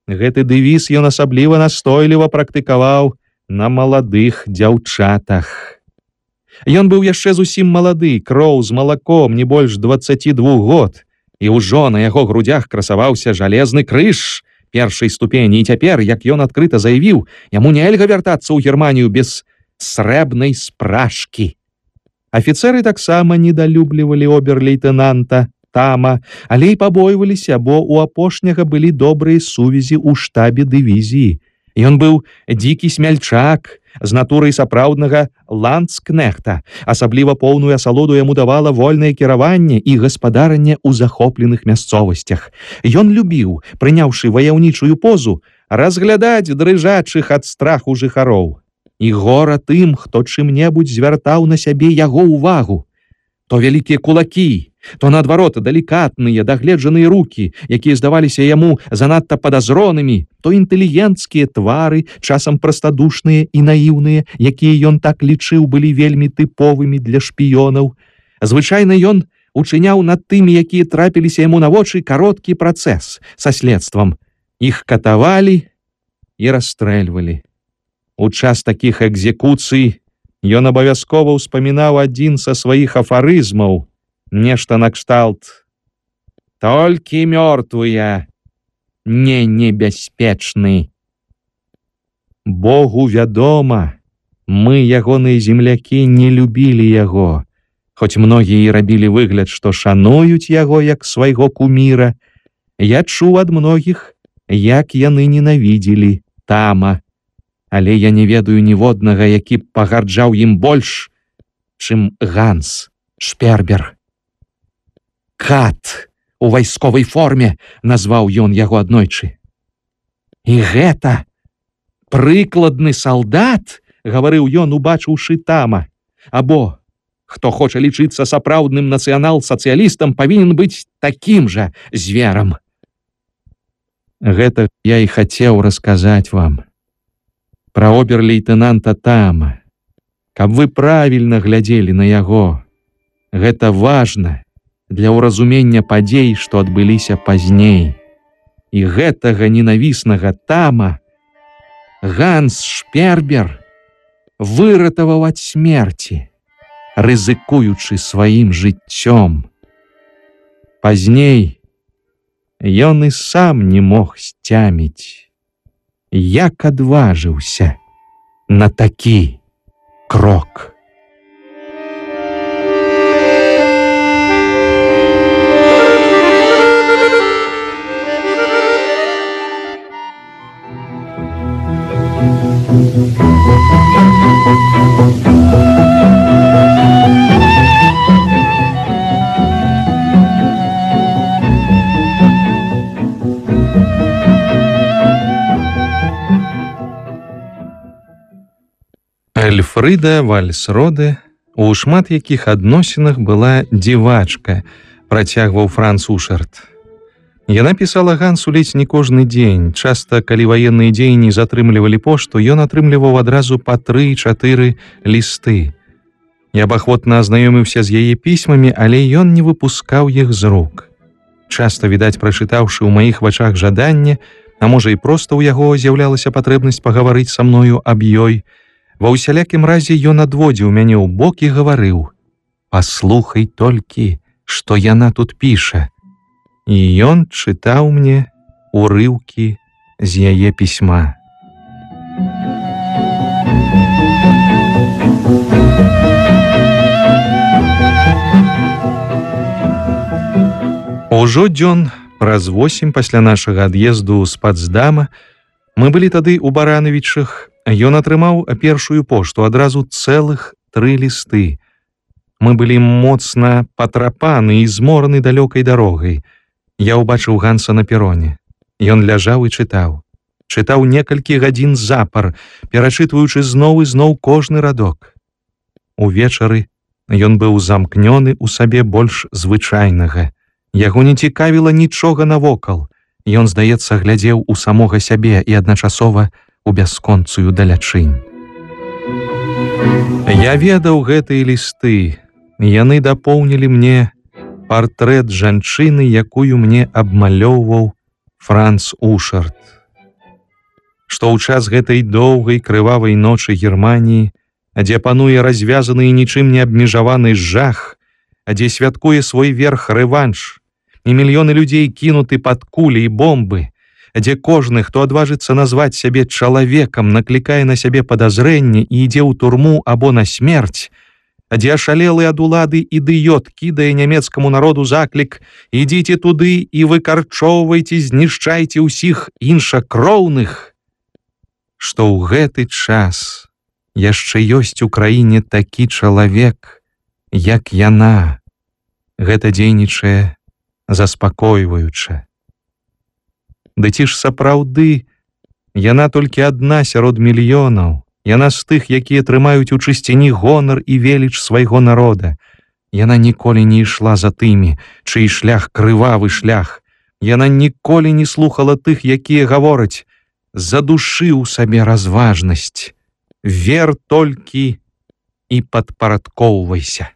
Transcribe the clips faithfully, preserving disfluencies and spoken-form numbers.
Гэты дэвіз ён асабліва настойліва практыкаваў на маладых дзяўчатах. Ён быў яшчэ зусім малады, кроў з малаком, не больш дваццаці двух год, і ўжо на яго грудях красаваўся жалезны крыж першай ступені, і цяпер, як ён адкрыта заявіў, яму нельга вяртацца ў Германію без срэбнай спражкі. Афіцэры таксама недалюблівалі обер-лейтэнанта Тама, але і пабойваліся, бо ў апошняга былі добрыя сувязі ў штабе дывізіі. Ён быў дзікі смяльчак, з натурай сапраўднага ландскнехта. Асабліва поўную асалоду яму давала вольнае кіраванне і гаспадаранне ў захопленых мясцовасцях. Ён любіў, прыняўшы ваяўнічую позу, разглядаць дрыжачых ад страху жыхароў. І гора тым, хто чым-небудзь звяртаў на сябе яго ўвагу. То вялікія кулакі, то наадварот далікатныя, дагледжаныя рукі, якія здаваліся яму занадта падазронымі, то інтэлігенцкія твары, часам прастадушныя і наіўныя, якія ён так лічыў былі вельмі тыповымі для шпіёнаў. Звычайна ён учыняў над тымі, якія трапіліся яму на вочы, кароткі працэс са следствам. Іх катавалі і расстрэльвалі. У час такіх экзекуцый ён абавязкова ўспамінаў адзін са сваіх афарызмаў, нешта накшталт: «Толькі мёртвыя не небяспечны». Богу вядома, мы, ягоныя землякі, не любілі яго, хоць многія і рабілі выгляд, што шануюць яго як свайго куміра. Я чуў ад многіх, як яны ненавідзелі Тама. Але я не ведаю ніводнага, які б пагарджаў ім больш, чым Ганс Шпербер. «Кат у вайсковай форме», назваў ён яго аднойчы. «І гэта прыкладны салдат», гаварыў ён, убачыўшы Тама. «Або, хто хоча лічыцца сапраўдным нацыянал-сацыялістам, павінен быць такім жа зверам». Гэта я і хацеў расказаць вам пра обер-лейтэнанта Тама, каб вы правільна глядзелі на яго. Гэта важна для ўразумення падзей, што адбыліся пазней. І гэтага ненавіснага Тама Ганс Шпербер выратаваў ад смерці, рызыкуючы сваім жыццём. Пазней ён і сам не мог сцяміць, як адважыўся на такі крок. Эльфрыда Вальсроде, у шмат якіх адносінах была дзівачка, працягваў Франц Ушарт. Яна пісала Гансу ледзь не кожны дзень. Часта, калі ваенныя дзеянні затрымлівалі пошту, ён атрымліваў адразу па тры-чатыры лісты. Я б ахвотна азнаёміўся з яе пісьмамі, але ён не выпускаў іх з рук. Часта, відаць, прачытаўшы ў маіх вачах жаданне, а можа і проста ў яго з'яўлялася патрэбнасць пагаварыць са мною аб ёй, ва ўсялякім разе ён адводзіў мяне ў бок і гаварыў: «Паслухай толькі, што яна тут піша». І ён чытаў мне урыўкі з яе пісьма. Ужо дзён праз восем пасля нашага ад'езду з Пацдама, мы былі тады ў Баранавічах, ён атрымаў першую пошту, адразу цэлых тры лісты. Мы былі моцна патрапаны і змораны далёкай дарогай. Я ўбачыў Ганса на пероне. Ён ляжаў і чытаў. Чытаў некалькі гадзін запар, перачытваючы зноў і зноў кожны радок. Увечары ён быў замкнёны ў сабе больш звычайнага. Яго не цікавіла нічога навокал. Ён, здаецца, глядзеў у самога сябе і адначасова у бясконцую далячынь. Я ведаў гэтыя лісты. Яны дапоўнілі мне партрэт жанчыны, якую мне абмалёўваў Франц Ушарт. што ў час гэтай доўгай крывавай ночы Германіі, дзе пануе развязаны і нічым не абмежаваны жах, дзе святкуе свой верх рэванш, і мільёны людзей кінуты пад кулі і бомбы, дзе кожны, хто адважыцца назваць сябе чалавекам, наклікае на сябе падазрэнне і ідзе ў турму або на смерць, дзе ашалелы ад улады ідыёт кідае нямецкаму народу заклік: «Ідзіце туды і выкарчоўвайце, знішчайце ўсіх іншакроўных», што ў гэты час яшчэ ёсць у краіне такі чалавек, як яна, гэта дзейнічае заспакойваюча. Ды ці ж сапраўды яна толькі адна сярод мільёнаў, яна з тых, якія трымаюць у чысціні гонар і веліч свайго народа. Яна ніколі не ішла за тымі, чый шлях крывавы шлях. Яна ніколі не слухала тых, якія гавораць: «Задушы ў сабе разважнасць, вер толькі і падпарадкоўвайся».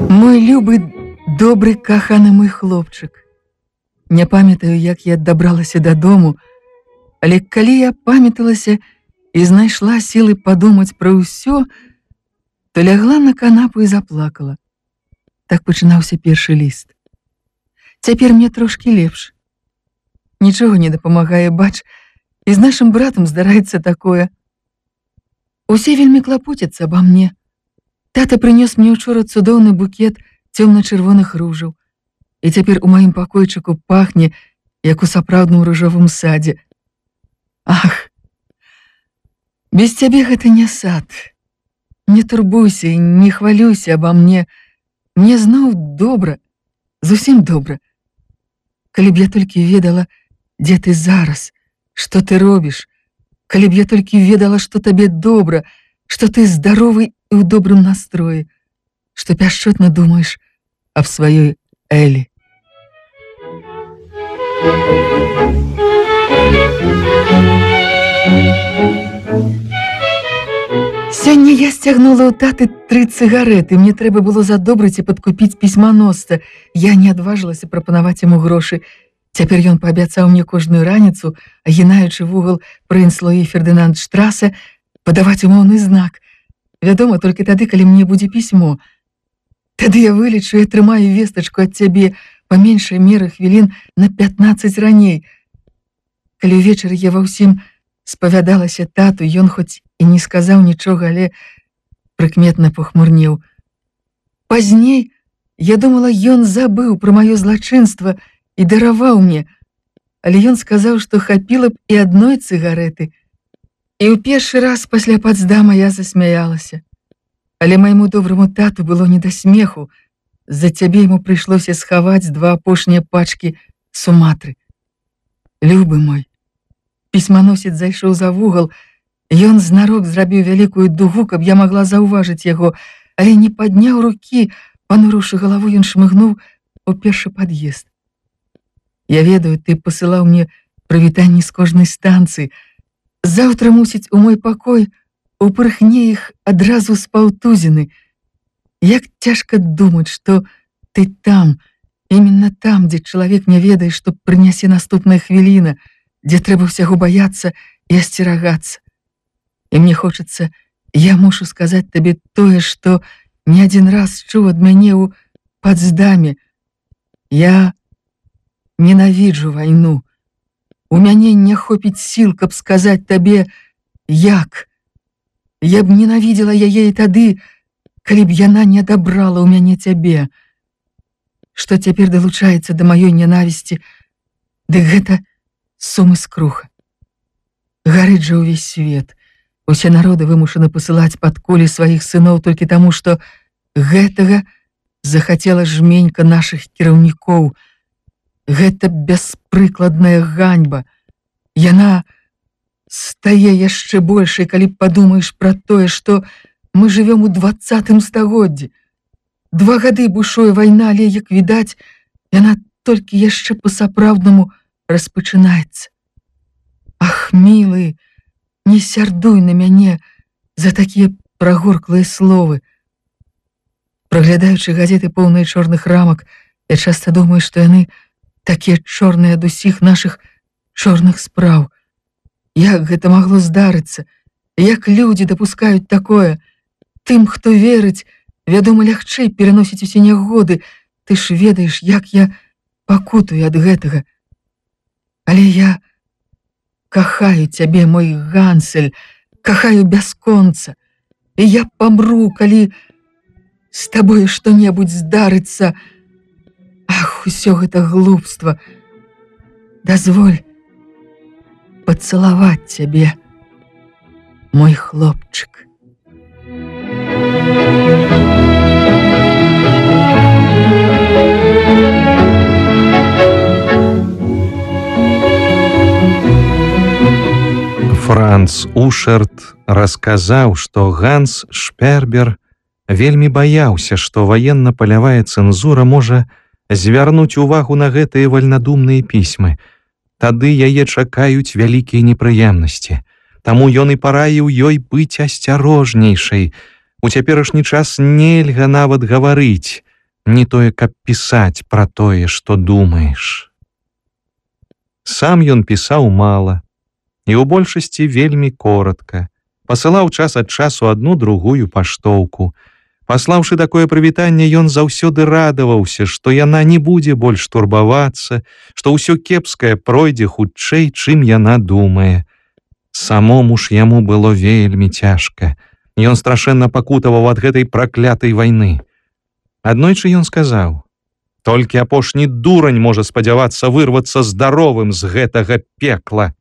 Мой любы, добры, каханы мой хлопчык. Не памятаю, як я дабралася дадому, але калі я памяталася і знайшла сілы падумаць пра ўсё, то лягла на канапу і заплакала. Так пачынаўся першы ліст. Цяпер мне трошкі лепш. Нічога не дапамагае, бач, і з нашым братам здараецца такое. Усе вельмі клапоцяцца аба мне. Тата прынёс мне учора цудоўны букет цёмна-чырвоных ружаў, і цяпер у маім пакойчыку пахне, як у сапраўдным ружовым садзе. Ах, без цябе гэта не сад. Не турбуйся і не хвалюйся аба мне. Мне зноў добра, зусім добра. Калі б я толькі ведала, дзе ты зараз, што ты робіш, калі б я толькі ведала, што табе добра, што ты здаровы і ў добрым настроі, што пяшчотна думаеш аб сваёй Элі. Сёння я сцягнула ў таты тры цыгарэты. Мне трэба было задобрыць і падкупіць пісьманосца. Я не адважылася прапанаваць яму грошы. Цяпер ён паабяцаў мне кожную раніцу, агінаючы вугал Прынслоі Фердынанд-штраса, падаваць умоўны знак. Вядома, толькі тады, калі мне будзе пісьмо. Тады я вылічу і атрымаю вестачку ад цябе па меншай меры хвілін на пятнаццаць раней. Калі ўвечары я ва ўсім спавядалася тату, ён хоць і не сказаў нічога, але прыкметна пахмурнеў. Пазней я думала, ён забыў пра маё злачынства і дараваў мне, але ён сказаў, што хапіла б і адной цыгарэты. І ў першы раз пасля пацдама я засмяялася. Але майму добраму тату было не да смеху. З-за цябе яму прыйшлося схаваць два апошнія пачкі Суматры. Любы мой, пісьманосец зайшоў за вугал. Ён знарок зрабіў вялікую дугу, каб я магла заўважыць яго, але не падняў рукі, панурыўшы галаву, ён шмыгнуў у першы пад'езд. Я ведаю, ты пасылаў мне прывітанні з кожнай станцыі. Заўтра, мусіць, у мой пакой упырхне іх адразу з паўтузіны. Як цяжка думаць, што ты там, именно там, дзе чалавек не ведае, што прынясе наступная хвіліна, дзе трэба ўсяго баяцца і асцерагацца. І мне хочацца, я мушу сказаць табе тое, што не адзін раз чуў ад мяне ў Пацдаме. Я ненавіджу вайну. У мяне не хопіць сіл, каб сказаць табе, як. Я б ненавідзела яе і тады, калі б яна не адабрала ў мяне цябе. Што цяпер далучаецца да маёй ненавісці, дык гэта сум і скруха. Гарыць жа ўвесь свет. Усе народы вымушаны пасылаць пад кулі сваіх сыноў толькі таму, што гэтага захацела жменька нашых кіраўнікоў. Гэта бяспрыкладная ганьба. Яна стае яшчэ большай, калі падумаеш пра тое, што мы жывём у дваццатым стагоддзі. Два гады бушуе вайна, але, як відаць, яна толькі яшчэ па-сапраўднаму распачынаецца. Ах, мілы, не сярдуй на мяне за такія прагорклыя словы. Праглядаючы газеты поўныя чорных рамак, я часта думаю, што яны такія чорныя ад усіх нашых чорных спраў. Як гэта магло здарыцца? Як людзі дапускаюць такое? Тым, хто верыць, вядома, лягчэй пераносіць усе нягоды. Ты ж ведаеш, як я пакутую ад гэтага. Але я кахаю цябе, мой Гансель, кахаю бясконца. І я памру, калі з табою што-небудзь здарыцца. Ах, усё гэта глупства. Дазволь пацалаваць цябе, мой хлопчык. Франц Ушерт расказаў, што Ганс Шпербер вельмі баяўся, што ваенна-палявая цэнзура можа звярнуць увагу на гэтыя вальнадумныя пісьмы. Тады яе чакаюць вялікія непрыемнасці. Таму ён і параіў ёй быць асцярожнейшай. У цяперашні час нельга нават гаварыць, не тое, каб пісаць пра тое, што думаеш. Сам ён пісаў мала, і ў большасці вельмі коратка. Пасылаў час ад часу адну другую паштоўку. Паслаўшы такое прывітанне, ён заўсёды радаваўся, што яна не будзе больш турбавацца, што ўсё кепскае пройдзе хутчэй, чым яна думае. Самому ж яму было вельмі цяжка. Ён страшэнна пакутаваў ад гэтай праклятай вайны. Аднойчы ён сказаў: «Толькі апошні дурань можа спадзявацца вырвацца здаровым з гэтага пекла».